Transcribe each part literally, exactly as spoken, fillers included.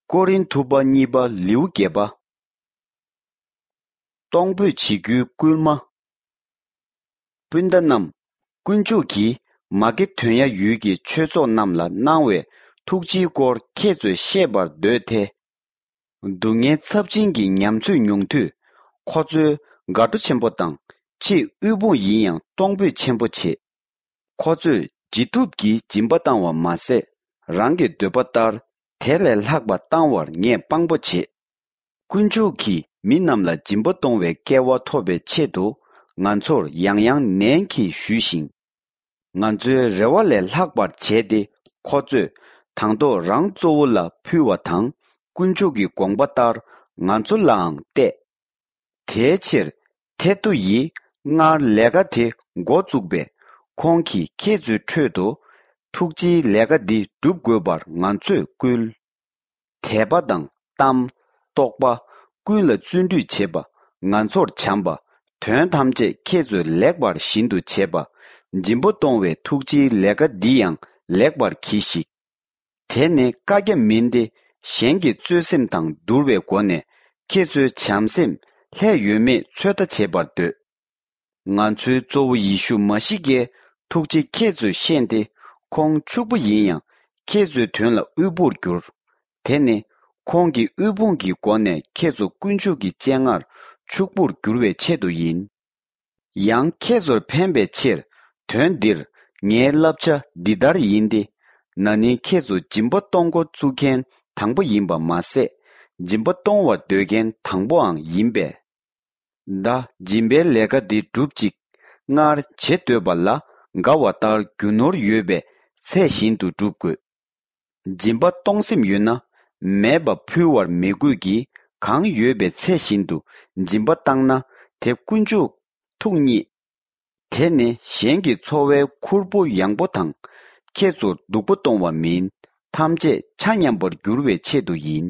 ཀོ་རིན་ཐུ་པ་གཉིས་པ་ལེའུ་བརྒྱད་པ། གཏོང་ཕོད་བྱེད་རྒྱུའི་སྐུལ་མ། སྤུན་ཟླ་རྣམས། དཀོན་མཆོག་གིས་མ་ཀེ་དོན་ཡ་ཡུལ་གྱི་ཆོས་ཚོགས་རྣམས་ལ་གནང་བའི་ཐུགས་རྗེའི་སྐོར་ཁྱེད་ཚོས་ཤེས་པར་འདོད་དེ། སྡུག་བསྔལ་ཚབས་ཆེན་གྱི་ཉམས་ཚོད་མྱོང་དུས། ཁོ་ཚོའི་དགའ་སྤྲོ་ཆེན་པོ་དང་ཆེས་དབུལ་ཕོངས་ཡིན་ཡང་གཏོང་ཕོད་ཆེན་པོ་བྱེད། ཁོ་ཚོས་ཇི་ཐུབ་ཀྱིས་སྦྱིན་པ་བཏང་བ་མ་ཟད། རང་གི་འདོད་པ་ལྟར་དེ་ལས་ལྷག་པ་བཏང་བར་ངས་དཔང་པོ་བྱེད། དཀོན་མཆོག་གིས་མི་རྣམས་ལ་སྦྱིན་པ་གཏོང་བའི་སྐལ་བ་ཐོབ་པའི་ཆེད་དུ་ང་ཚོར་ཡང་ཡང་ནན་གྱིས་ཞུས་ཤིང་། ང་ཚོའི་རེ་བ་ལས་ལྷག་པར་བྱས་ཏེ། ཁོ་ཚོས་དང་ཐོག་རང་གཙོ་བོ་ལ་ཕུལ་བ་དང་། དཀོན་མཆོག་གི་དགོངས་པ་ལྟར་ང་ཚོ་ལའང་གཏད། དེའི་ཕྱིར་ཐེ་ཏོ་ཡིས་སྔར་ལས་ཀ་དེ་འགོ་བཙུགས་པས། ཁོང་གིས་ཁྱེད་ཚོའི་ཁྲོད་དུ་ཐུགས་རྗེའི་ལས་ཀ་འདི་སྒྲུབ་དགོས་པར་ང་ཚོས་བསྐུལ། དད་པ་དང་གཏམ། རྟོགས་པ། ཀུན་ལ་བརྩོན་འགྲུས་བྱེད་པ། ང་ཚོར་བྱམས་པ། དོན་ཐམས་ཅད་ཁྱེད་ཚོས་ལེགས་པར་བཞིན་དུ་བྱེད་པ། སྦྱིན་པ་གཏོང་བའི་ཐུགས་རྗེའི་ལས་ཀ་འདི་ཡང་ལེགས་པར་གྱིས་ཤིག། དེ་ནི་བཀའ་རྒྱ་མིན་ཏེ། གཞན་གྱི་རྩོད་སེམས་དང་བསྡུར་བའི་སྒོ་ནས། ཁྱེད་ཚོའི་བྱམས་སེམས་ལྷད་ཡོད་མེད་ཚོད་ལྟ་བྱེད་པར་འདོད། ང་ཚོའི་གཙོ་བོ་ཡེ་ཤུ་མ་ཤི་ཀའི་ཐུགས་རྗེ་ཁྱེད་ཚོས་ཤེས་ཏེ། ཁོང་ཕྱུག་པོ་ཡིན་ཡང་ཁྱེད་ཚོའི་དོན་ལ་དབུལ་པོར་གྱུར། དེ་ནི་ཁོང་གིས་དབུལ་ཕོངས་ཀྱི་སྒོ་ནས་ཁྱེད་ཚོ་དཀོན་མཆོག་གི་སྤྱན་སྔར་ཕྱུག་པོར་འགྱུར་བའི་ཆེད་དུ་ཡིན། ཡང་ཁྱེད་ཚོར་ཕན་པའི་ཕྱིར། དོན་འདིར་ངའི་བསླབ་བྱ་འདི་ལྟར་ཡིན་ཏེ། ན་ནིང་ཁྱེད་ཚོ་སྦྱིན་པ་གཏོང་འགོ་བཙུགས་མཁན་དང་པོ་ཡིན་པ་མ་ཟད། སྦྱིན་པ་གཏོང་བར་འདོད་མཁན་དང་པོའང་ཡིན་པས། ད་སྦྱིན་པའི་ལས་ཀ་འདི་སྒྲུབ་ཅིག། སྔར་བྱེད་འདོད་པ་ལ་དགའ་བ་ལྟར་རྒྱུ་ནོར་ཡོད་པའི་ཚད་བཞིན་དུ་སྒྲུབ་དགོས། སྦྱིན་པ་གཏོང་སེམས་ཡོད་ན། མེད་པ་ཕུལ་བར་མི་དགོས་ཀྱི། གང་ཡོད་པའི་ཚད་བཞིན་དུ་སྦྱིན་པ་བཏང་ན། དེ་དཀོན་མཆོག་ཐུགས་མཉེས། དེ་ནི་གཞན་གྱི་འཚོ་བའི་ཁུར་པོ་ཡངས་པོ་དང་། ཁྱེད་ཚོར་སྡུག་པོ་གཏོང་བ་མིན། ཐམས་ཅད་ཆ་མཉམ་པར་འགྱུར་བའི་ཆེད་དུ་ཡིན།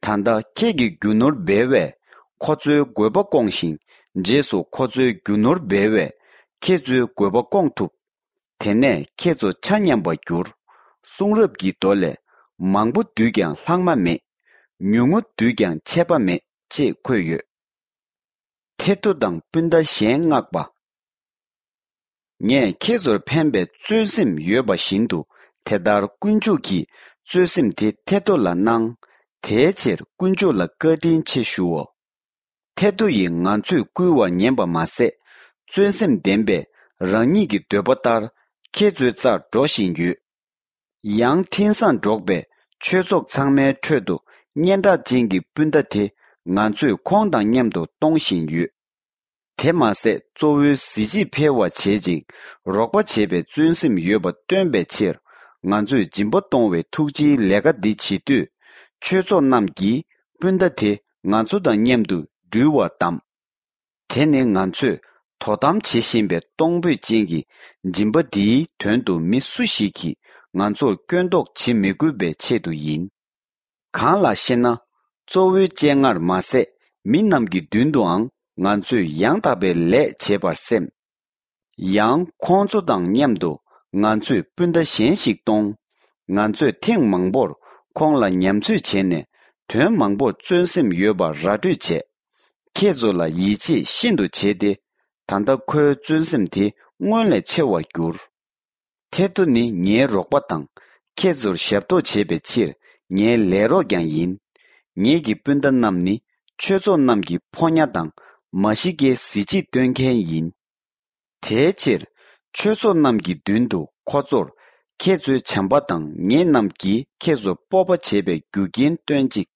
ད་ལྟ་ཁྱེད་ཀྱི་རྒྱུ་ནོར་འབེལ་བས་ཁོ་ཚོའི་དགོས་པ་སྐོང་ཞིང་། རྗེས་སུ་ཁོ་ཚོའི་རྒྱུ་ནོར་འབེལ་བས་ཁྱེད་ཚོའི་དགོས་པ་སྐོང་ཐུབ། དེ་ནས་ཁྱེད་ཚོ་ཆ་མཉམ་པར་འགྱུར། གསུང་རབ་ཀྱི་མདོ་ལས། མང་པོ་བསྡུས་ཀྱང་ལྷག་མ་མེད། ཉུང་ངུ་བསྡུས་ཀྱང་ཆད་པ་མེད། ཅེས་འཁོད་ཡོད། ཐེ་ཏོ་དང་སྤུན་ཟླ་གཞན་མངགས་པ། ངས་ཁྱེད་ཚོར་ཕན་པའི་བརྩོན་སེམས་ཡོད་པ་བཞིན་དུ། དེ་ལྟར་དཀོན་མཆོག་གིས་བརྩོན་སེམས་དེ་ཐེ་ཏོ་ལ་གནང་། དེའི་ཕྱིར་དཀོན་མཆོག་ལ་བཀའ་དྲིན་ཆེ་ཞུའོ། ཐེ་ཏོ་ཡིས་ང་ཚོས་བསྐུལ་བར་ཉན་པ་མ་ཟད། བརྩོན་སེམས་ལྡན་པས་རང་ཉིད་ཀྱི་འདོད་པ་ལྟར་ཁྱེད་ཚོའི་རྩར་འགྲོ་བཞིན་ཡོད། ཡང་འཕྲིན་བཟང་སྒྲོག་པས་ཆོས་ཚོགས་ཚང་མའི་ཁྲོད་དུ་སྙན་གྲགས་ཅན་གྱི་སྤུན་ཟླ་དེ་ང་ཚོས་ཁོང་དང་མཉམ་དུ་གཏོང་བཞིན་ཡོད། དེ་མ་ཟད་གཙོ་བོའི་གཟི་བརྗིད་འཕེལ་བར་བྱེད་ཅིང་རོགས་པ་བྱེད་པའི་བརྩོན་སེམས་ཡོད་པ་སྟོན་པའི་ཕྱིར། ང་ཚོས་སྦྱིན་པ་གཏོང་བའི་ཐུགས་རྗེའི་ལས་ཀ་འདི་བྱེད་དུས། ཆོས་ཚོགས་རྣམས་ཀྱིས་སྤུན་ཟླ་དེ་ང་ཚོ་དང་མཉམ་དུ་འགྲུལ་བར་གདམས། དེ་ནི་ང་ཚོས་དོ་དམ་བྱེད་བཞིན་པའི་གཏོང་ཕོད་ཅན་གྱི་སྦྱིན་པ་འདིའི་དོན་དུ་མི་སུ་ཞིག་གིས་ང་ཚོར་སྐྱོན་འདོགས་བྱེད་མི་དགོས་པའི་ཆེད་དུ་ཡིན། གང་ལགས་ཤེ་ན། གཙོ་བོའི་སྤྱན་སྔར་མ་ཟད་མི་རྣམས་ཀྱི་མདུན་དུའང་ང་ཚོས་ཡང་དག་པའི་ལས་བྱེད་པར་སེམས། ཡང་ཁོང་ཚོ་དང་མཉམ་དུ་ང་ཚོས་སྤུན་ཟླ་གཞན་ཞིག་གཏོང་། ང་ཚོས་ཐེངས་མང་པོར་ཁོང་ལ་ཉམས་ཚོད་བྱས་ནས་དོན་མང་པོར་བརྩོན་སེམས་ཡོད་པར་ར་སྤྲོད་བྱས། ཁྱེད་ཚོ་ལ་ཡིད་ཆེས་ཤིན་ཏུ་བྱས་ཏེ། ད་ལྟ་ཁོའི་བརྩོན་སེམས་དེ་སྔོན་ལས་ཆེ་བར་གྱུར། ཐེ་ཏོ་ནི་ངའི་རོགས་པ་དང་། ཁྱེད་ཚོར་ཞབས་ཏོག་བྱེད་པའི་ཕྱིར་ངའི་ལས་རོགས་ཀྱང་ཡིན། ངེད་ཀྱི་སྤུན་ཟླ་རྣམས་ནི་ཆོས་ཚོགས་རྣམས་ཀྱི་ཕོ་ཉ་དང་མ་ཤི་ཀའི་གཟི་བརྗིད་སྟོན་མཁན་ཡིན། དེའི་ཕྱིར་ཆོས་ཚོགས་རྣམས་ཀྱི་མདུན་དུ་ཁོ་ཚོར་ཁྱེད་ཚོའི་བྱམས་པ་དང་ངེད་རྣམས་ཀྱིས་ཁྱེད་ཚོར་སྤོབས་པ་བྱེད་པའི་རྒྱུ་རྐྱེན་སྟོན་ཅིག།